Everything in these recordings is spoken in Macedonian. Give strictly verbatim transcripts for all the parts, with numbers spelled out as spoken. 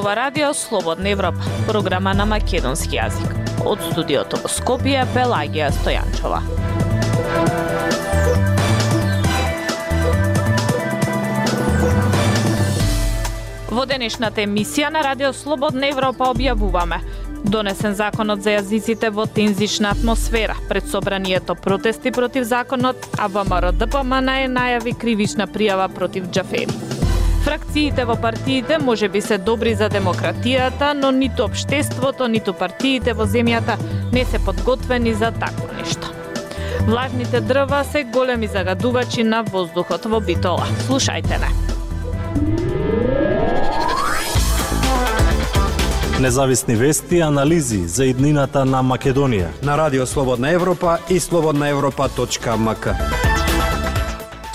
ова радио Слободна Европа, програма на македонски јазик. Од студиото во Скопје, Пелагија Стојанчова. Во денешната емисија на радио Слободна Европа објавуваме: донесен законот за јазиците во тензична атмосфера, пред собранието протести против законот, а ВМРО-ДПМН е најави кривична пријава против Џафери. Фракциите во партиите можеби се добри за демократијата, но ниту општеството, ниту партиите во земјата не се подготвени за такво нешто. Влажните дрва се големи загадувачи на воздухот во Битола. Слушајте не. Независни вести и анализи за иднината на Македонија на Радио Слободна Европа и слободна европа точка ем ка.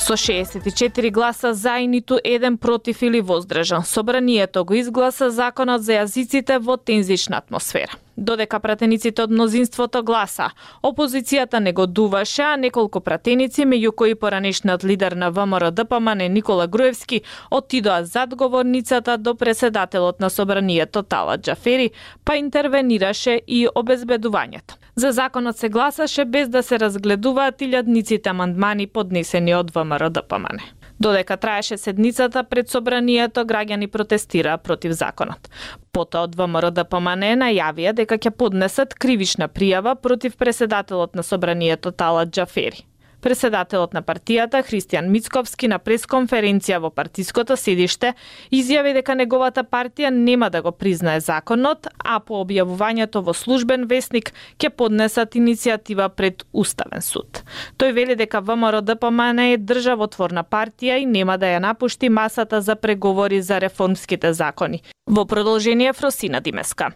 Со шеесет и четири гласа за и ниту еден против или воздржан, собранието го изгласа законот за јазиците во тензична атмосфера. Додека пратениците од мнозинството гласа, опозицијата негодуваше, а неколку пратеници, меѓу кои поранешниот лидер на ВМРО-ДПМН Никола Груевски, отидоа зад говорницата до преседателот на собранието Талат Џафери, па интервенираше и обезбедувањето. За законот се гласаше без да се разгледуваат илјадниците амандмани поднесени од ВМРО-ДПМН. Додека траеше седницата пред собранието, граѓани протестираа против законот. Потоа од ВМРО-ДПМН најавија дека ќе поднесат кривична пријава против преседателот на собранието Талат Џафери. Преседателот на партијата Христијан Мицковски на пресконференција во партиското седиште изјави дека неговата партија нема да го признае законот, а по објавувањето во службен весник ќе поднесат иницијатива пред Уставен суд. Тој вели дека ВМРО-ДПМН е државотворна партија и нема да ја напушти масата за преговори за реформските закони. Во продолжение Фросина Димеска.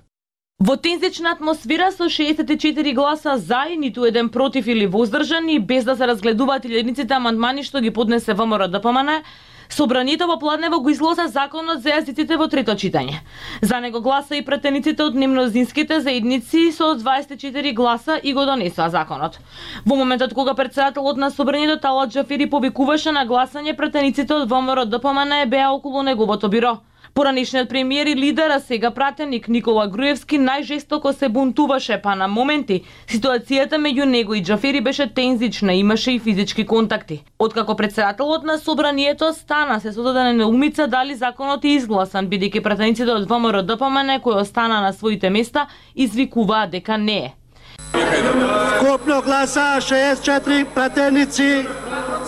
Во тензична атмосфера со шеесет и четири гласа за и ниту еден против или воздржан и без да се разгледуваат илјадниците амандмани што ги поднесе ВМРО-ДПМН, собранието во Пладнево го изгласа законот за јазиците во трето читање. За него гласа и пратениците од немнозинските заедници со дваесет и четири гласа и го донесоа законот. Во моментот кога претседателот на собранието Талат Џафери повикуваше на гласање, пратениците од ВМРО-ДПМН беа околу неговото биро. Поранешниот премиер и лидер, а сега пратеник Никола Груевски најжестоко се бунтуваше, па на моменти ситуацијата меѓу него и Џафери беше тензична, имаше и физички контакти. Откако претседателот на собранието стана се создадена неумица дали законот е изгласан, бидејќи пратениците од ВМРО-ДПМН кои остана на своите места извикуваа дека не е. Скопно гласа шеесет и четири пратеници,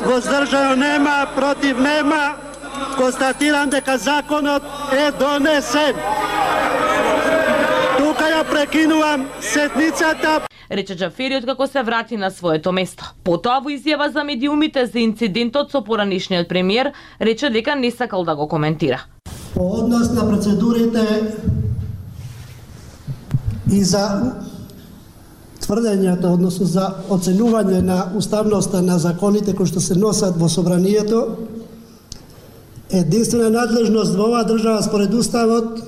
воздржано нема, против нема. Констатирам дека законот е донесен. Тука ја прекинувам седницата, рече Џафери откако се врати на своето место. Потоа во изјава за медиумите за инцидентот со поранешниот премиер рече дека не сакал да го коментира. По однос на процедурите и за тврдењата, односно за оценување на уставноста на законите кои што се носат во собранието, единствена надлежност во оваа држава според Уставот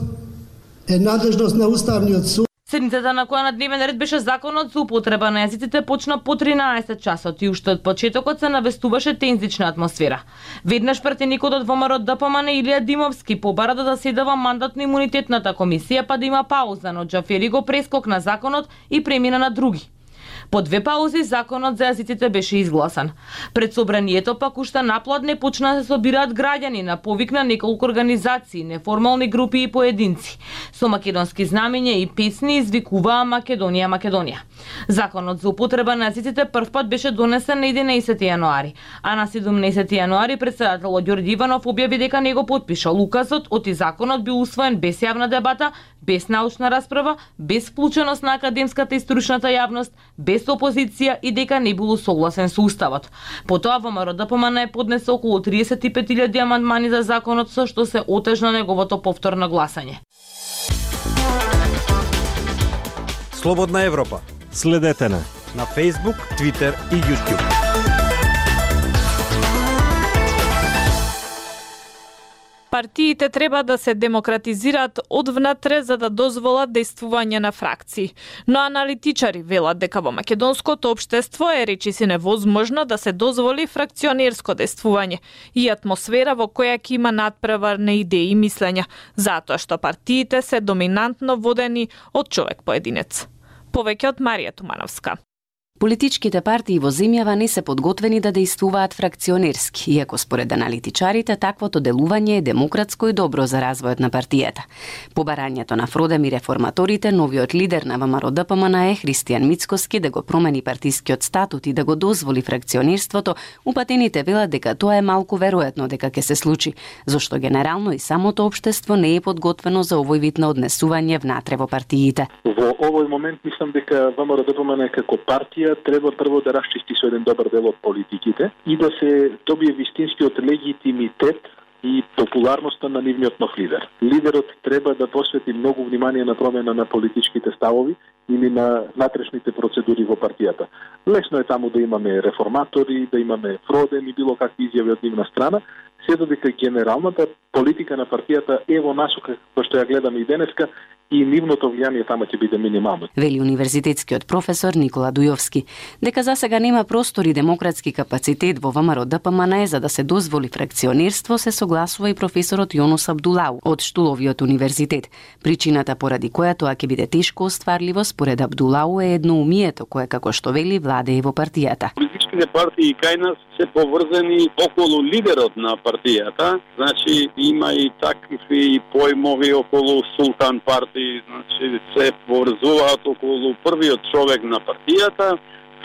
е надлежност на Уставниот суд. Седницата на која на дневен ред беше законот за употреба на јазиците почна по тринаесет часот и уште од почетокот се навестуваше тензична атмосфера. Веднаш пратеникот од ВМРО-ДПМН Илија Димовски побара да заседава мандатно-имунитетната комисија па да има пауза, но Џафери го прескокна законот и премина на други. По две паузи законот за јазиците беше изгласан. Пред собранието пак уште напладне почна да се собираат граѓани на повик на неколку организации, неформални групи и поединци. Со македонски знамења и песни извикуваа Македонија, Македонија. Законот за употреба на јазиците првпат беше донесен на единаесети јануари, а на седумнаесети јануари претседателот Ѓорѓе Иванов објави дека не го потпишал указот, оти законот бил усвоен без јавна дебата, без научна расправа, без вклученост на академската и стручната јавност, без опозиција и дека не било согласен со уставот. Потоа ВМРО-ДПМН поднесе околу триесет и пет илјади амандмани за законот со што се отежна неговото повторно гласање. Слободна Европа. Следете на на Facebook, Twitter и YouTube. Партиите треба да се демократизираат одвнатре за да дозволат дејствување на фракции. Но аналитичари велат дека во македонското општество е речиси невозможно да се дозволи фракционерско дејствување и атмосфера во која ќе има надпреварни идеи и мислења, затоа што партиите се доминантно водени од човек поединец. Повеќе од Марија Тумановска. Политичките партии во земјава не се подготвени да дејствуваат фракционерски, иако според аналитичарите таквото делување е демократско и добро за развојот на партијата. По барањето на Фродем и реформаторите, новиот лидер на ВМРО-ДПМН е Христијан Мицкоски да го промени партискиот статут и да го дозволи фракционерството, упатените велат дека тоа е малку веројатно дека ќе се случи, зашто генерално и самото општество не е подготвено за овој вид на однесување внатре во партиите. Во овој момент мислам дека ВМРО-ДПМН како партија треба прво да расчисти со еден добар дел од политиките и да се добие вистинскиот легитимитет и популарноста на нивниот нов лидер. Лидерот треба да посвети многу внимание на промена на политичките ставови или на внатрешните процедури во партијата. Лесно е таму да имаме реформатори, да имаме Фроден и било какви изјави од нивна страна, се додека генералната политика на партијата е во насока која што ја гледаме и денеска, и нивното влијание тама ќе биде минимално. Вели универзитетскиот професор Никола Дујовски, дека за сега нема простор и демократски капацитет во ВМРО-ДПМН за да се дозволи фракционерство, се согласува и професорот Јонус Абдулау од Штуловиот универзитет. Причината поради која тоа ќе биде тешко остварливо според Абдулау е едноумието кое како што вели владее во партијата. Политичките партии кај нас се поврзани околу лидерот на партијата, значи има и такви појмови околу султан партии, значи се поврзуваат околу првиот човек на партијата,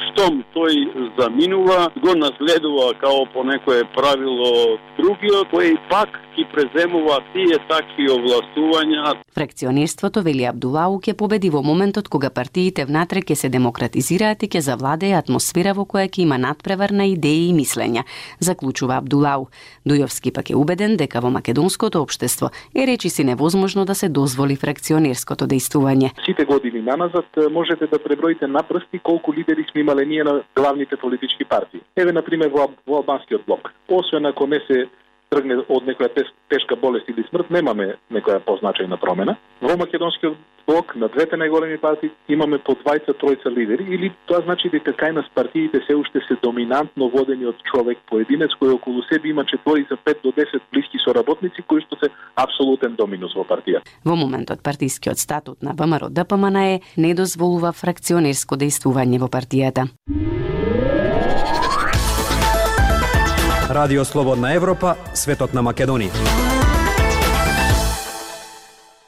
штом тој заминува, го наследува као по некое правило другиот, кој пак ги преземува тие такви овластувања. Фракционерството, вели Абдулау, ќе победи во моментот кога партиите внатре ќе се демократизираат и ќе завладее атмосфера во која ќе има надпревар на идеи и мислења, заклучува Абдулау. Дујовски пак е убеден дека во македонското општество е речиси невозможно да се дозволи фракционерското дејствување. Сите години наназад можете да преброите на прсти колку лидери сме имале ние на главните политички партии. Еве на пример во, во албанскиот блок. Освен ако не се тргне од некоја теш, тешка болест или смрт, немаме некоја позначајна промена. Во македонскиот блок на двете најголеми партии имаме по двајца тројца лидери, или тоа значи дека кај нас партиите се уште се доминантно водени од човек поединец кој околу себе има четворица, пет до десет блиски соработници кои што се апсолутен доминус во партија. Во моментот партискиот статут на ВМРО-ДПМН е не дозволува фракционерско дејствување во партијата. Радио Слободна Европа, светот на Македонија.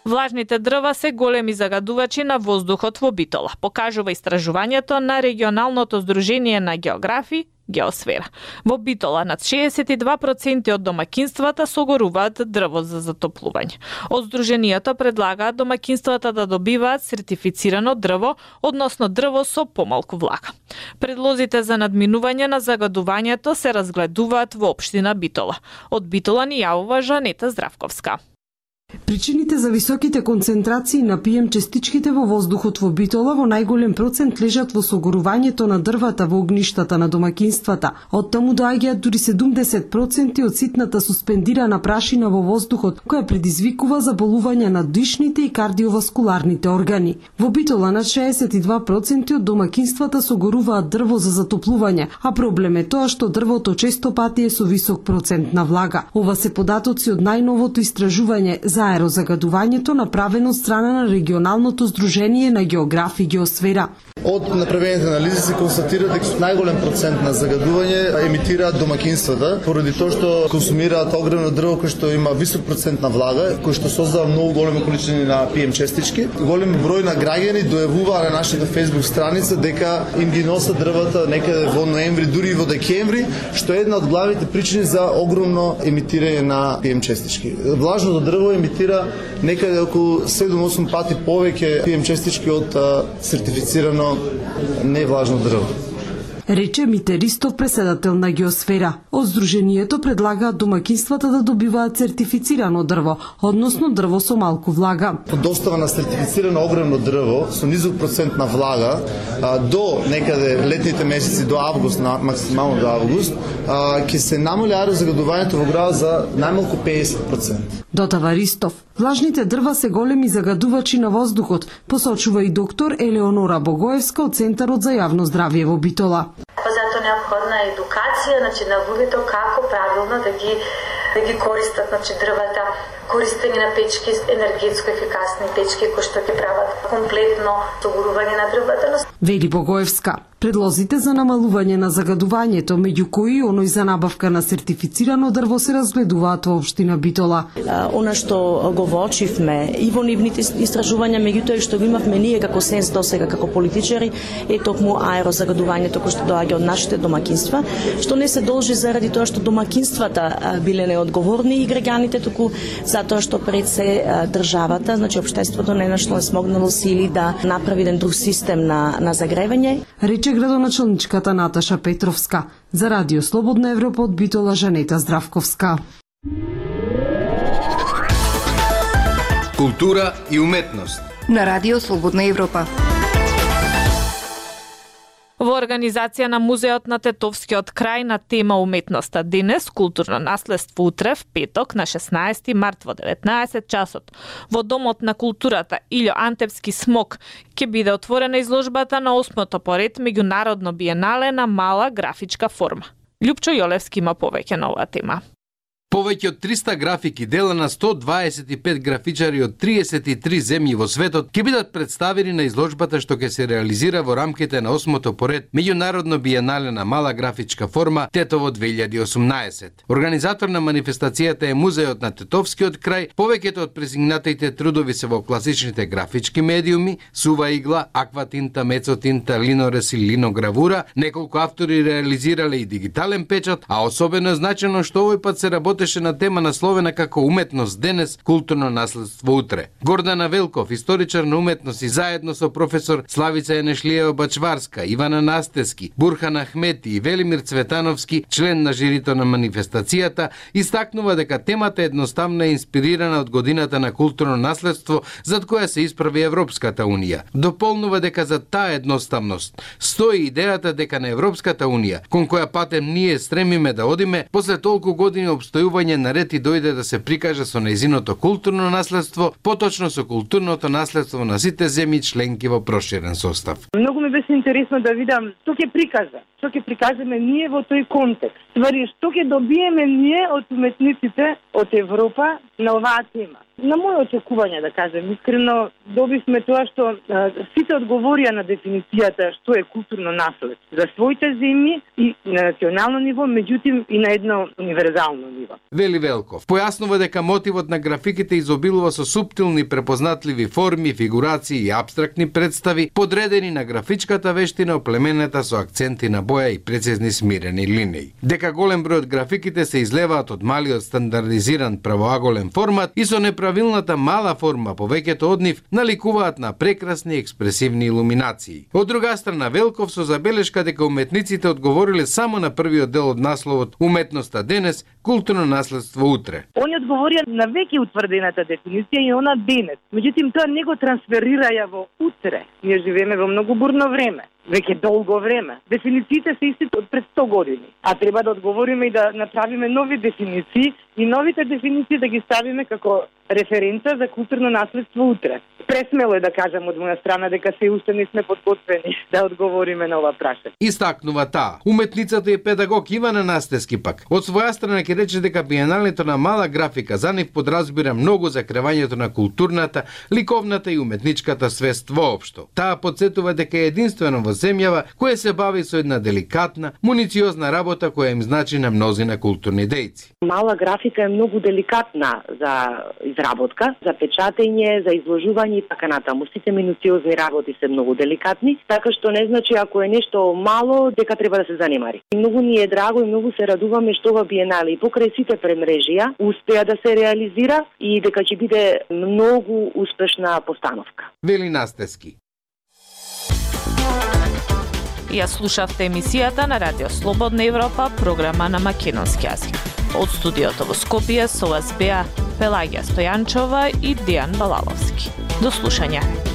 Влажните дрва се големи загадувачи на воздухот во Битола, покажува истражувањето на регионалното здружение на географи Геосфера. Во Битола над шеесет и два проценти од домакинствата согоруваат дрво за затоплување. Од здруженијето предлагаат домакинствата да добиваат сертифицирано дрво, односно дрво со помалку влага. Предлозите за надминување на загадувањето се разгледуваат во општина Битола. Од Битола ни јавува Жанета Здравковска. Причините за високите концентрации на пи ем честичките во воздухот во Битола во најголем процент лежат во согорувањето на дрвата во огништата на домакинствата. Од таму доаѓаат дури седумдесет проценти од ситната суспендирана прашина во воздухот, која предизвикува заболувања на дишните и кардиоваскуларните органи. Во Битола над шеесет и два проценти од домакинствата согоруваат дрво за затоплување, а проблем е тоа што дрвото често пати е со висок процент на влага. Ова се податоци од најновото истражување за аерозагадувањето направено од страна на регионалното здружение на географи Геосфера. Од направените анализи се констатира дека најголем процент на загадување емитираат домакинствата, поради тоа што консумираат огромно дрво кој што има висок процент на влага, кој што создава многу големи количини на пи ем честички. Голем број на граѓани дојавуваа на нашата Facebook страница дека им ги носат дрвата некаде во ноември, дури и во декември, што е една од главните причини за огромно емитирање на пи ем честички. Влажното дрво емитира некаде околу седум до осум пати повеќе пи ем честички од а, сертифицирано невлажно дрво. рече Мите Ристов, преседател на Геосфера. Од здруженијето предлагаат домаќинствата да добиваат сертифицирано дрво, односно дрво со малку влага. Достава на сертифицирано огромно дрво со низок процент на влага а, до некаде летните месеци до август, на, максимално до август, а, ќе се намали аерозагадувањето во градот за најмалку педесет проценти. Дотава Ристов, влажните дрва се големи загадувачи на воздухот, посочува и доктор Елеонора Богоевска од Центарот за јавно здравје во Битола. Затоа неопходна е едукација, значи на луѓето како правилно да ги да ги користат, значи дрвата, користење на печки, енергетско ефикасни печки кои што ќе прават комплетно согорување на дрвата. Вели Богоевска, предлозите за намалување на загадувањето, меѓу кои оној за набавка на сертифицирано дрво, се разгледуваат во општина Битола. Она што го воочивме и во нивните истражувања, меѓутоа и што го имавме ние како сенс досега како политичари, е токму аерозагадувањето кој што доаѓа од нашите домакинства, што не се должи заради тоа што домакинствата биле неодговорни и граѓаните, туку затоа што пред се државата, значи општеството не нашло не смогнало сили да направи еден друг систем на на загревање. Рече градоначалничката Наташа Петровска. За Радио Слободна Европа од Битола Жанета Здравковска. Култура и уметност на Радио Слободна Европа. Во организација на Музеот на Тетовскиот крај на тема уметноста денес, културно наследство утре, в петок на шеснаести март во деветнаесет часот, во Домот на културата Илјо Антевски смок ќе биде отворена изложбата на осмото поред меѓународно биенале на мала графичка форма. Љупчо Јолевски има повеќе на оваа тема. Повеќе од триста графики дела на сто дваесет и пет графичари од триесет и три земји во светот ќе бидат представени на изложбата што ќе се реализира во рамките на осмото поред меѓународно биенале на мала графичка форма Тетово две илјади и осумнаесет. Организатор на манифестацијата е Музеот на Тетовскиот крај. Повеќето од презигнатите трудови се во класичните графички медиуми, сува игла, акватинта, мецотинта, линорез и линогравура. Неколку автори реализирале и дигитален печат, а особено е значено што овој пат се работи на тема насловена како уметност денес, културно наследство утре. Гордана Велков, историчар на уметност и заедно со професор Славица Енешлиева Бачварска, Ивана Настески, Бурхан Ахмети и Велимир Цветановски, член на жирито на манифестацијата, истакнува дека темата едноставно е инспирирана од годината на културно наследство зад која се исправи Европската унија. Дополнува дека за таа едноставност стои идејата дека на Европската унија, кон која патем ние стремиме да одиме, после толку години обстојување наред и дојде да се прикаже со нејзиното културно наследство, поточно со културното наследство на сите земји членки во проширен состав. Многу ми беше интересно да видам што ќе прикажа, што ќе прикажеме ние во тој контекст. Ствари, што ќе добиеме ние од уметниците од Европа на оваа тема. На моје очекување, да кажем, искрено добивме тоа што а, сите одговорија на дефиницијата што е културно наследство за своите земји и на национално ниво, меѓутоа и на едно универзално ниво. Вели Велков појаснува дека мотивот на графиките изобилува со суптилни препознатливи форми, фигурации и апстрактни представи, подредени на графичката вештина, оплеменета со акценти на боја и прецизни смирени линии. Дека голем број од графиките се излеваат од малиот стандардизиран правоаголен формат и со неправилната мала форма, повеќето од нив наликуваат на прекрасни експресивни илуминации. Од друга страна, Велков со забелешка дека уметниците одговориле само на првиот дел од насловот Уметноста денес, културно наследство утре. Они одговорија на веќе утврдената дефиниција и она денес. Меѓутоа тоа не го трансферираја во утре. Ние живееме во многу бурно време. Веќе долго време. Дефинициите се исти од пред сто години. А треба да одговориме и да направиме нови дефиниции и новите дефиниции да ги ставиме како референца за културно наследство утре. Пресмело е да кажам од моја страна дека се уште не сме подготвени да одговориме на ова прашање. Истакнува таа. Уметницата и педагог Ивана Настески пак од своја страна ќе рече дека биеналето на мала графика за нив подразбира многу за кревањето на културната, ликовната и уметничката свест воопшто. Таа потсетува дека е единствено во земјава која се бави со една деликатна, мунициозна работа која им значи на мнозина културни дејци. Мала графика е многу деликатна за изработка, за печатење, за изложување и така натаму. Сите минуциозни работи се многу деликатни, така што не значи ако е нешто мало дека треба да се занимари. И многу ни е драго и многу се радуваме што ова биенале и покрај сите премрежија успеа да се реализира и дека ќе биде многу успешна постановка. Вели Настески. Ја слушавте емисијата на Радио Слободна Европа, програма на македонски јазик. Од студиото во Скопје со вас беа Пелагија Стојанчова и Дијан Балаловски. До слушање.